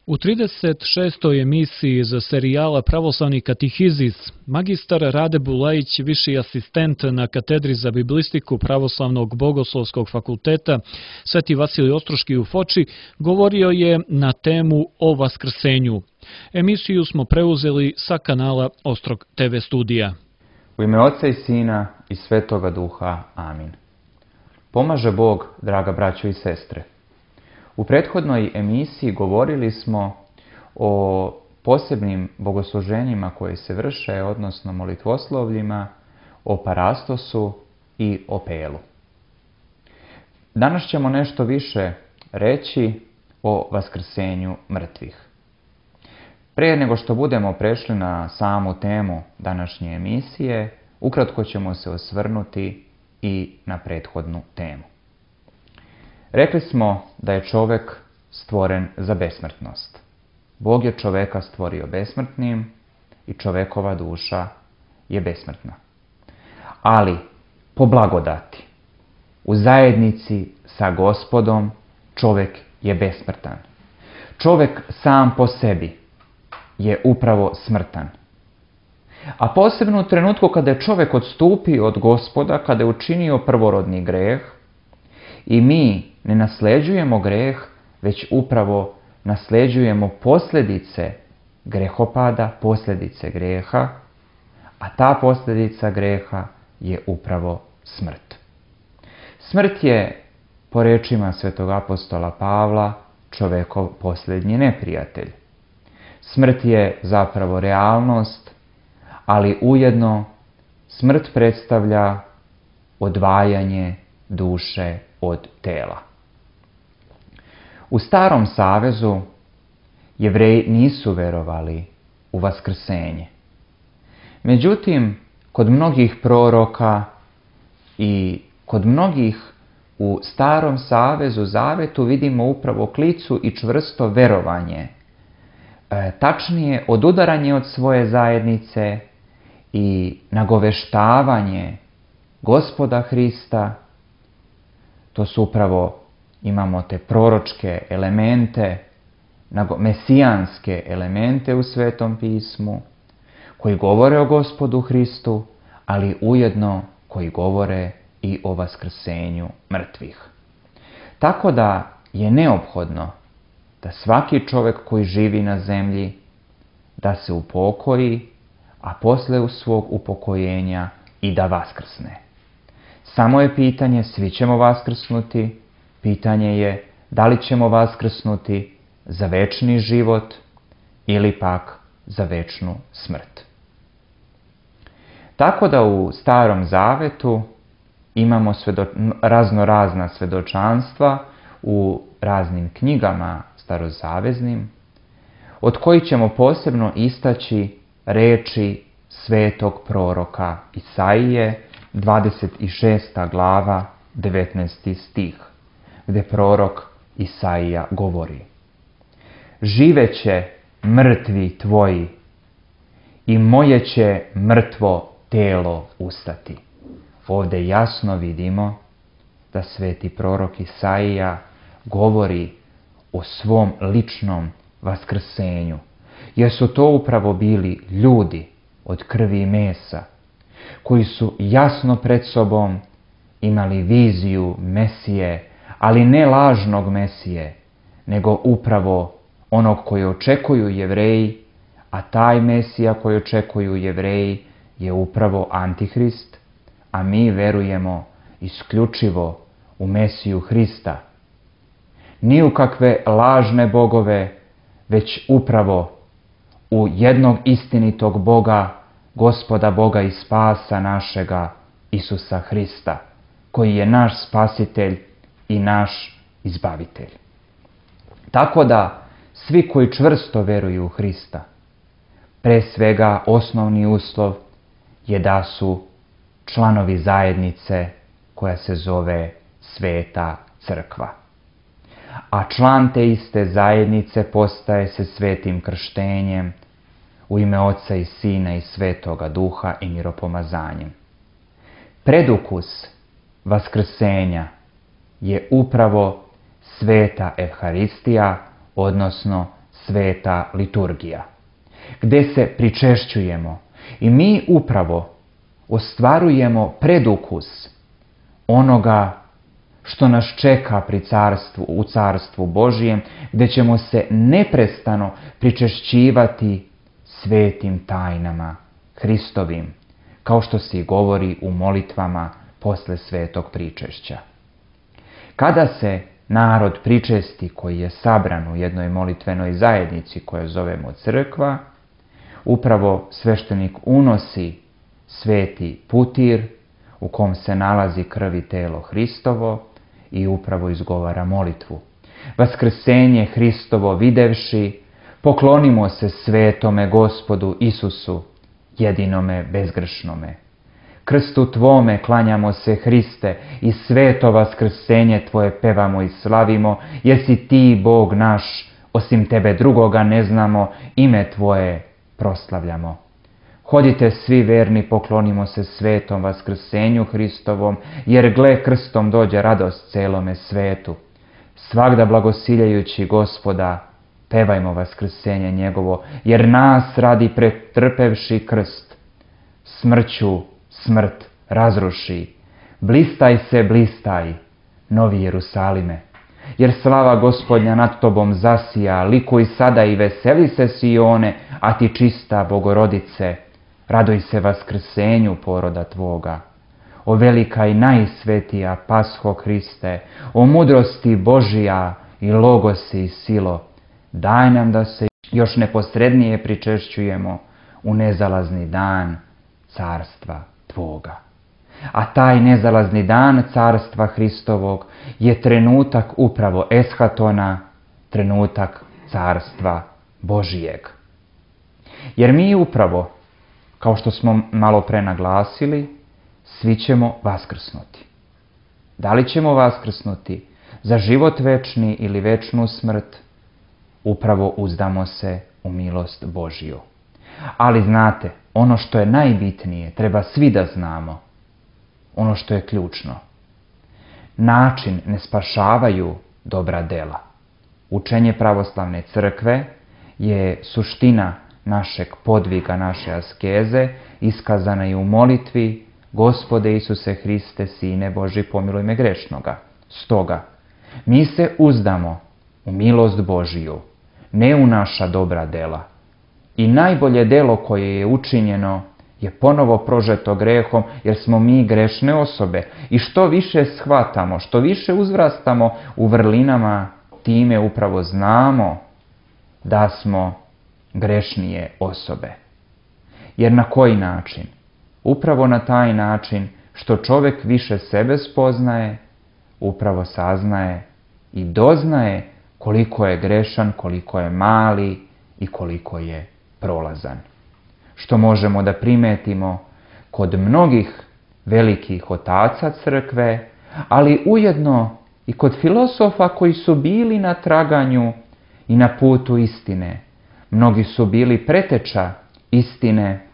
U 36. emisiji za serijala Pravoslavni katehizis, magistar Rade Bulajić, viši asistent na katedri za biblistiku Pravoslavnog bogoslovskog fakulteta Sveti Vasilij Ostroški u Foči, govorio je na temu o Vaskrsenju. Emisiju smo preuzeli sa kanala Ostrog TV studija. U ime Oca i Sina i Svetoga Duha. Amin. Pomaže Bog, draga braćo i sestre. U prethodnoj emisiji govorili smo o posebnim bogosluženjima koje se vrše, odnosno molitvoslovljima, o parastosu i o pelu. Danas ćemo nešto više reći o vaskrsenju mrtvih. Prije nego što budemo prešli na samu temu današnje emisije, ukratko ćemo se osvrnuti i na prethodnu temu. Rekli smo da je čovjek stvoren za besmrtnost. Bog je čovjeka stvorio besmrtnim i čovjekova duša je besmrtna. Ali, po blagodati, u zajednici sa Gospodom čovjek je besmrtan. Čovjek sam po sebi je upravo smrtan. A posebno u trenutku kada je čovjek odstupio od Gospoda, kada je učinio prvorodni greh, i mi ne nasljeđujemo greh, već upravo nasljeđujemo posljedice grehopada, posljedice greha, a ta posljedica greha je upravo smrt. Smrt je, po rečima svetog apostola Pavla, čovjekov posljednji neprijatelj. Smrt je zapravo realnost, ali ujedno smrt predstavlja odvajanje duše od tela. U Starom Savezu Jevreji nisu verovali u vaskrsenje. Međutim, kod mnogih proroka i kod mnogih u Starom Savezu, Zavetu, vidimo upravo klicu i čvrsto verovanje. Tačnije, odudaranje od svoje zajednice i nagoveštavanje Gospoda Hrista. To su upravo, imamo te proročke elemente, mesijanske elemente u Svetom pismu, koji govore o Gospodu Hristu, ali ujedno koji govore i o vaskrsenju mrtvih. Tako da je neophodno da svaki čovjek koji živi na zemlji, da se upokoji, a posle svog upokojenja i da vaskrsne. Samo je pitanje, svi ćemo vaskrsnuti, pitanje je da li ćemo vaskrsnuti za večni život ili pak za večnu smrt. Tako da u Starom Zavetu imamo raznorazna svjedočanstva u raznim knjigama starozaveznim, od kojih ćemo posebno istaći reči svetog proroka Isaije, 26. glava, 19. stih, gdje prorok Isaija govori: živeće mrtvi tvoji i moje će mrtvo telo ustati. Ovdje jasno vidimo da sveti prorok Isaija govori o svom ličnom vaskrsenju, jer su to upravo bili ljudi od krvi i mesa, koji su jasno pred sobom imali viziju Mesije, ali ne lažnog Mesije, nego upravo onog koji očekuju Jevreji, a taj Mesija koji očekuju Jevreji je upravo Antihrist, a mi verujemo isključivo u Mesiju Hrista. Ni u kakve lažne bogove, već upravo u jednog istinitog Boga, Gospoda Boga i spasa našega, Isusa Hrista, koji je naš spasitelj i naš izbavitelj. Tako da svi koji čvrsto veruju u Hrista, pre svega osnovni uslov je da su članovi zajednice koja se zove Sveta Crkva. A član te iste zajednice postaje se svetim krštenjem u ime Oca i Sina i Svetoga Duha i miropomazanjem. Predukus vaskrsenja je upravo Sveta Evharistija, odnosno sveta liturgija, gdje se pričešćujemo i mi upravo ostvarujemo predukus onoga što nas čeka u carstvu Božijem, gdje ćemo se neprestano pričešćivati svetim tajnama Hristovim, kao što se govori u molitvama posle svetog pričešća. Kada se narod pričesti koji je sabran u jednoj molitvenoj zajednici koju zovemo crkva, upravo sveštenik unosi sveti putir u kom se nalazi krv i telo Hristovo i upravo izgovara molitvu. Vaskrsenje Hristovo videvši, poklonimo se svetome Gospodu Isusu, jedinome bezgrešnome. Krstu Tvome klanjamo se, Hriste, i sveto vaskrsenje Tvoje pevamo i slavimo, jesi Ti, Bog naš, osim Tebe drugoga ne znamo, ime Tvoje proslavljamo. Hodite svi verni, poklonimo se svetom vaskrsenju Hristovom, jer gle, krstom dođe radost celome svetu. Svagda blagosiljajući Gospoda, pevajmo vaskrsenje njegovo, jer nas radi pretrpevši krst, smrću smrt razruši. Blistaj se, blistaj, novi Jerusalime, jer slava Gospodnja nad tobom zasija, likuj sada i veseli se Sione, a ti čista Bogorodice, raduj se vaskrsenju poroda tvoga. O velika i najsvetija Pasho Hriste, o mudrosti Božija i logosi i silo, daj nam da se još neposrednije pričešćujemo u nezalazni dan carstva Tvoga. A taj nezalazni dan carstva Hristovog je trenutak upravo eshatona, trenutak carstva Božijeg. Jer mi upravo, kao što smo malo pre naglasili, svi ćemo vaskrsnuti. Da li ćemo vaskrsnuti za život večni ili večnu smrt, upravo uzdamo se u milost Božiju. Ali znate, ono što je najbitnije, treba svi da znamo, ono što je ključno. Način ne spašavaju dobra dela. Učenje pravoslavne crkve je suština našeg podviga, naše askeze, iskazana i u molitvi: Gospode Isuse Hriste, Sine Boži, pomiluj me grešnoga. Stoga, mi se uzdamo u milost Božiju, ne u naša dobra dela. I najbolje delo koje je učinjeno je ponovo prožeto grehom, jer smo mi grešne osobe. I što više shvatamo, što više uzrastamo u vrlinama, time upravo znamo da smo grešnije osobe. Jer na koji način? Upravo na taj način što čovjek više sebe spoznaje, upravo saznaje i doznaje koliko je grešan, koliko je mali i koliko je prolazan. Što možemo da primetimo kod mnogih velikih otaca crkve, ali ujedno i kod filosofa koji su bili na traganju i na putu istine. Mnogi su bili preteča istine,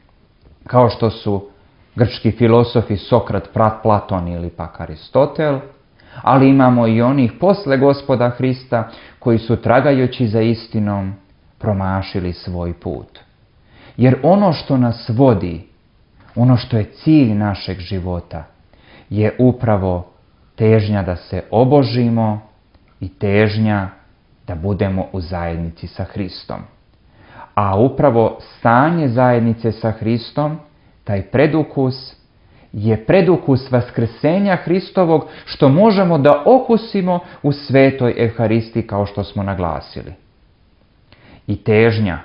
kao što su grčki filosofi Sokrat, Platon ili pak Aristotel, ali imamo i onih posle Gospoda Hrista koji su tragajući za istinom promašili svoj put. Jer ono što nas vodi, ono što je cilj našeg života, je upravo težnja da se obožimo i težnja da budemo u zajednici sa Hristom. A upravo stanje zajednice sa Hristom, taj predukus, je predukus vaskrsenja Hristovog, što možemo da okusimo u svetoj Evharisti, kao što smo naglasili. I težnja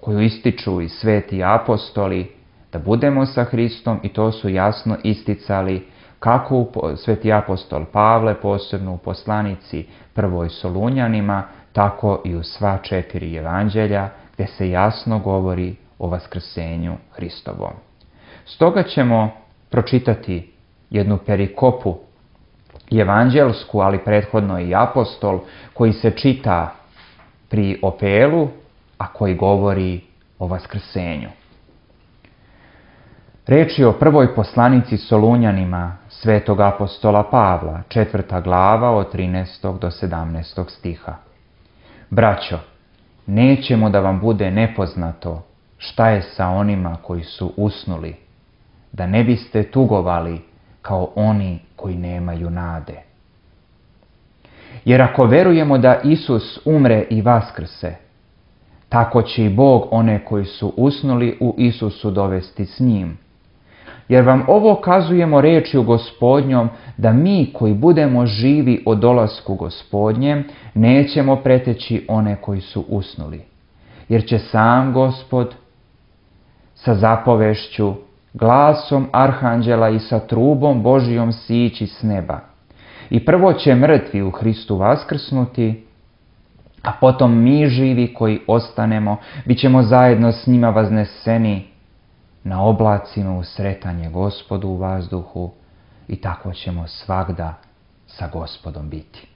koju ističu i sveti apostoli, da budemo sa Hristom, i to su jasno isticali kako sveti apostol Pavle, posebno u poslanici prvoj Solunjanima, tako i u sva 4 evanđelja, gdje se jasno govori o vaskrsenju Hristovom. Stoga ćemo pročitati jednu perikopu evanđelsku, ali prethodno i apostol, koji se čita pri opelu, a koji govori o vaskrsenju. Reč je o prvoj poslanici Solunjanima svetog apostola Pavla, 4. glava od 13. do 17. stiha. Braćo, nećemo da vam bude nepoznato šta je sa onima koji su usnuli, da ne biste tugovali kao oni koji nemaju nade. Jer ako verujemo da Isus umre i vaskrse, tako će i Bog one koji su usnuli u Isusu dovesti s njim. Jer vam ovo kazujemo rečju Gospodnjom, da mi koji budemo živi o dolasku Gospodnjem, nećemo preteći one koji su usnuli. Jer će sam Gospod sa zapovešću, glasom arhanđela i sa trubom Božijom sići s neba. I prvo će mrtvi u Hristu vaskrsnuti, a potom mi živi koji ostanemo, bit ćemo zajedno s njima vazneseni na oblacima u sretanje Gospodu u vazduhu i tako ćemo svagda sa Gospodom biti.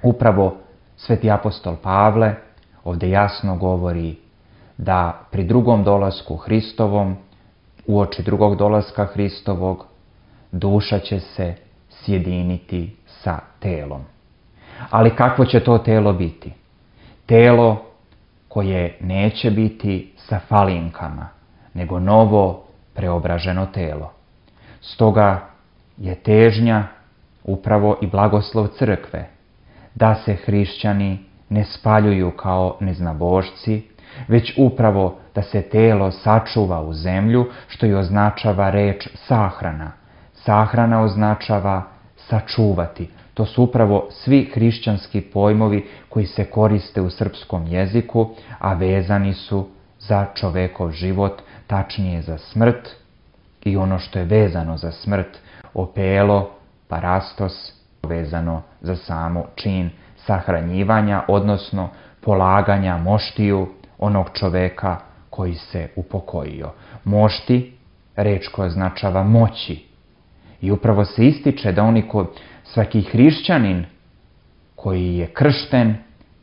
Upravo sveti apostol Pavle ovdje jasno govori da pri drugom dolasku Hristovom, uoči drugog dolaska Hristovog, duša će se sjediniti sa telom. Ali kakvo će to telo biti? Telo koje neće biti sa falinkama, nego novo preobraženo telo. Stoga je težnja upravo i blagoslov crkve da se hrišćani ne spaljuju kao neznabošci, već upravo da se telo sačuva u zemlju, što i označava reč sahrana. Sahrana označava sačuvati. To su upravo svi hrišćanski pojmovi koji se koriste u srpskom jeziku, a vezani su za čovekov život, tačnije za smrt i ono što je vezano za smrt, opelo, parastos, vezano za samo čin sahranjivanja, odnosno polaganja moštiju onog čoveka koji se upokojio. Mošti, reč koja označava moći. I upravo se ističe da svaki hrišćanin koji je kršten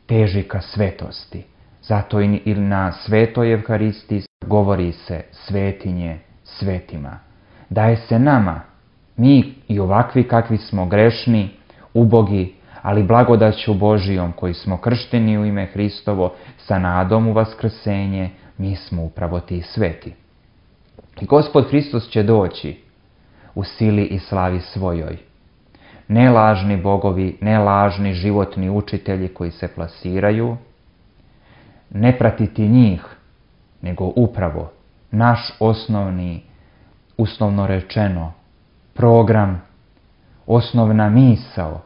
teži ka svetosti. Zato i na svetoj Evharistiji govori se svetinje svetima. Daje se nama, mi i ovakvi kakvi smo grešni, ubogi, ali blagodaću Božijom koji smo kršteni u ime Hristovo sa nadom u vaskrsenje, mi smo upravo ti sveti. I Gospod Hristos će doći u sili i slavi svojoj. Ne lažni bogovi, ne lažni životni učitelji koji se plasiraju, ne pratiti njih, nego upravo naš osnovni, uslovno rečeno, program, osnovna misao,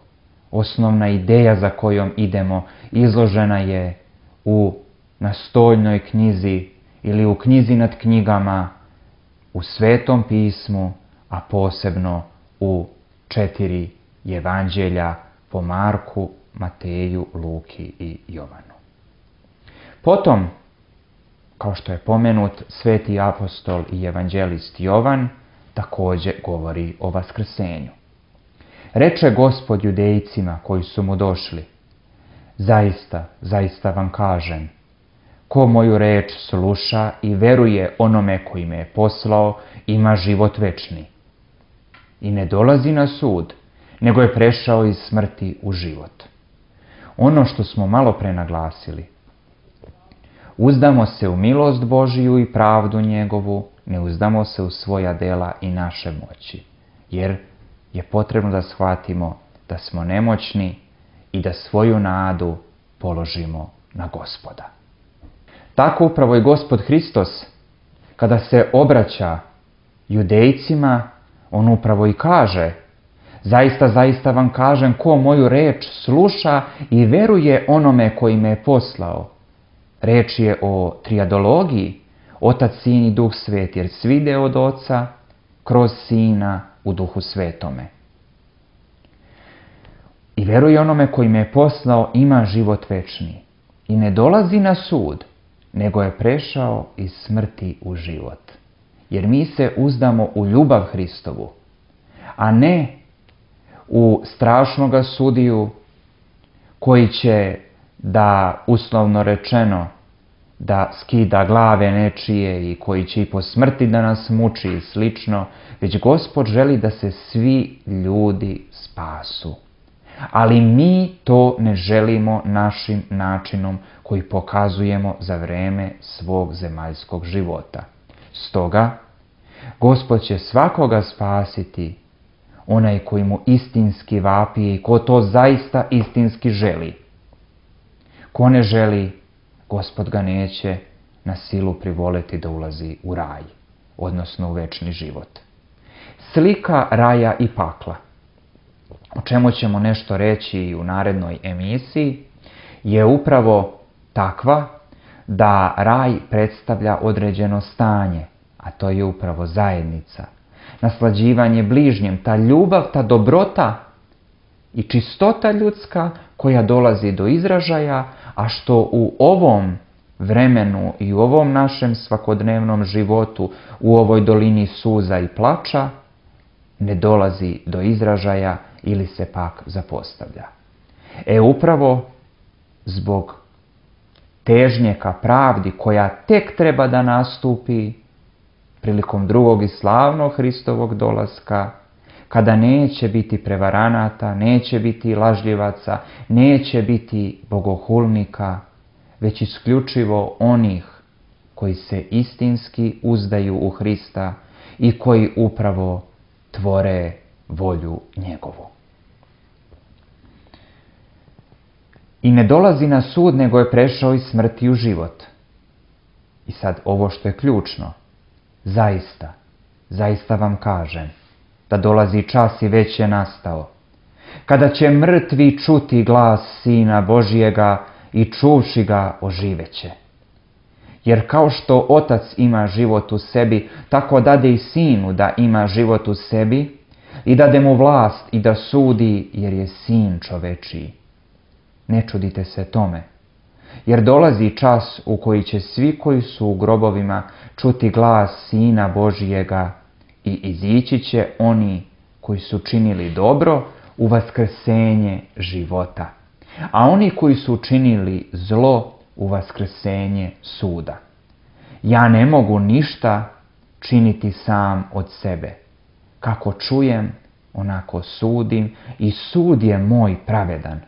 osnovna ideja za kojom idemo izložena je u nastoljnoj knjizi ili u knjizi nad knjigama, u Svetom pismu, a posebno u 4 evanđelja po Marku, Mateju, Luki i Jovanu. Potom, kao što je pomenut, sveti apostol i evanđelist Jovan također govori o vaskrsenju. Reče Gospod judejcima koji su mu došli: zaista, zaista vam kažem, ko moju reč sluša i veruje onome koji me je poslao, ima život večni. I ne dolazi na sud, nego je prešao iz smrti u život. Ono što smo malo pre naglasili, uzdamo se u milost Božiju i pravdu njegovu, ne uzdamo se u svoja dela i naše moći, jer je potrebno da shvatimo da smo nemoćni i da svoju nadu položimo na Gospoda. Tako upravo i Gospod Hristos, kada se obraća judejcima, on upravo i kaže: zaista, zaista vam kažem, ko moju reč sluša i veruje onome koji me je poslao. Reč je o triadologiji, Otac, Sin i Duh Sveti, jer svi ide od Oca kroz Sina u Duhu Svetome. I veruje onome koji me je poslao, ima život večni. I ne dolazi na sud, nego je prešao iz smrti u život. Jer mi se uzdamo u ljubav Hristovu, a ne u strašnoga sudiju koji će da, uslovno rečeno, da skida glave nečije i koji će i po smrti da nas muči i slično, već Gospod želi da se svi ljudi spasu. Ali mi to ne želimo našim načinom koji pokazujemo za vreme svog zemaljskog života. Stoga, Gospod će svakoga spasiti, onaj koji mu istinski vapi i ko to zaista istinski želi. Ko ne želi, Gospod ga neće na silu privoleti da ulazi u raj, odnosno u večni život. Slika raja i pakla, o čemu ćemo nešto reći i u narednoj emisiji, je upravo takva da raj predstavlja određeno stanje, a to je upravo zajednica, naslađivanje bližnjem, ta ljubav, ta dobrota i čistota ljudska koja dolazi do izražaja, a što u ovom vremenu i u ovom našem svakodnevnom životu, u ovoj dolini suza i plača, ne dolazi do izražaja ili se pak zapostavlja. Upravo zbog težnje ka pravdi koja tek treba da nastupi prilikom drugog i slavnog Hristovog dolaska, kada neće biti prevaranata, neće biti lažljivaca, neće biti bogohulnika, već isključivo onih koji se istinski uzdaju u Hrista i koji upravo tvore volju njegovu. I ne dolazi na sud, nego je prešao iz smrti u život. I sad ovo što je ključno, zaista vam kažem da dolazi čas i već je nastao, kada će mrtvi čuti glas Sina Božijega i čuvši ga oživeće. Jer kao što Otac ima život u sebi, tako dade i Sinu da ima život u sebi i dade mu vlast i da sudi, jer je Sin čovečiji. Ne čudite se tome, jer dolazi čas u koji će svi koji su u grobovima čuti glas Sina Božijega i izići će oni koji su činili dobro u vaskrsenje života, a oni koji su činili zlo u vaskrsenje suda. Ja ne mogu ništa činiti sam od sebe. Kako čujem, onako sudim i sud je moj pravedan,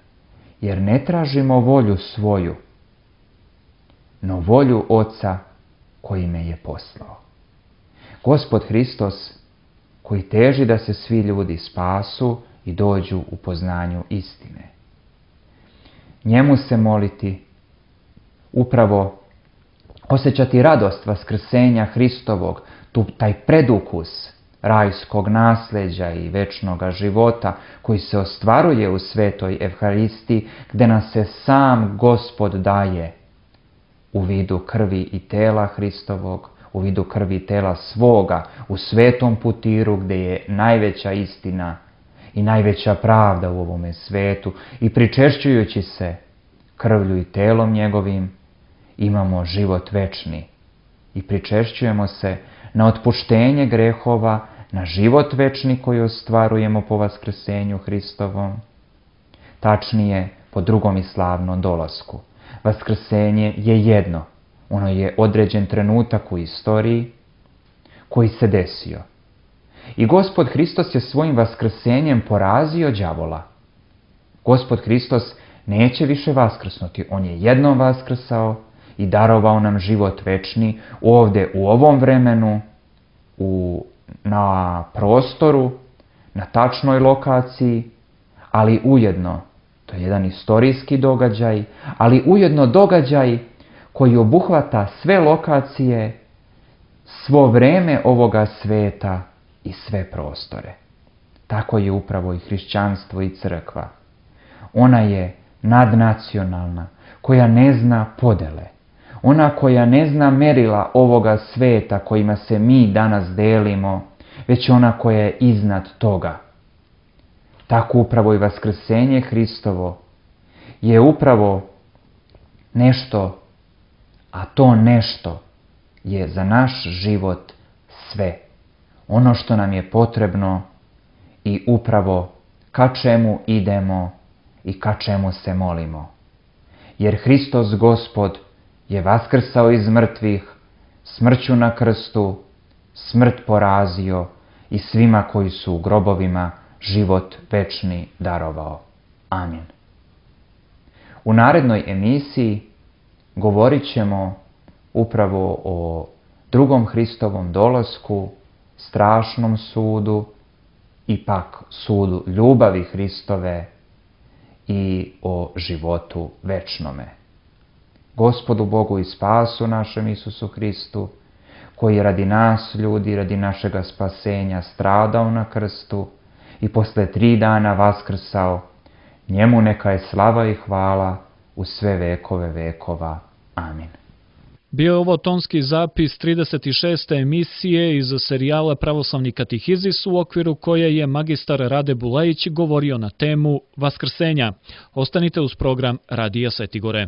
jer ne tražimo volju svoju, no volju Oca koji me je poslao. Gospod Hristos, koji teži da se svi ljudi spasu i dođu u poznanju istine. Njemu se moliti, upravo osjećati radost vaskrsenja Hristovog, taj predukus rajskog nasljeđa i večnoga života koji se ostvaruje u svetoj Evharistiji, gdje nas se sam Gospod daje u vidu krvi i tela Hristovog, u vidu krvi i tela svoga, u svetom putiru gdje je najveća istina i najveća pravda u ovome svetu, i pričešćujući se krvlju i telom njegovim imamo život večni i pričešćujemo se na otpuštenje grehova, na život večni koji ostvarujemo po vaskrsenju Hristovom, tačnije po drugom i slavnom dolasku. Vaskrsenje je jedno, ono je određen trenutak u istoriji koji se desio. I Gospod Hristos je svojim vaskrsenjem porazio đavola. Gospod Hristos neće više vaskrsnuti, on je jednom vaskrsao i darovao nam život večni ovdje u ovom vremenu, na prostoru, na tačnoj lokaciji, ali ujedno, to je jedan istorijski događaj, ali ujedno događaj koji obuhvata sve lokacije, svo vreme ovoga sveta i sve prostore. Tako je upravo i hrišćanstvo i crkva. Ona je nadnacionalna, koja ne zna podele. Ona koja ne zna merila ovoga sveta kojima se mi danas delimo, već ona koja je iznad toga. Tako upravo i vaskrsenje Hristovo je upravo nešto, a to nešto je za naš život sve. Ono što nam je potrebno i upravo ka čemu idemo i ka čemu se molimo. Jer Hristos Gospod je vaskrsao iz mrtvih, smrću na krstu, smrt porazio i svima koji su u grobovima život večni darovao. Amin. U narednoj emisiji govorit ćemo upravo o drugom Hristovom dolasku, strašnom sudu i pak sudu ljubavi Hristove i o životu večnome. Gospodu Bogu i spasu našem Isusu Hristu, koji radi nas ljudi, radi našega spasenja stradao na krstu i posle 3 dana vaskrsao, njemu neka je slava i hvala u sve vekove vekova. Amin. Bio je ovo tonski zapis 36. emisije iz serijala Pravoslavni katehizis, u okviru koje je magistar Rade Bulajić govorio na temu Vaskrsenja. Ostanite uz program Radija Sveti Gore.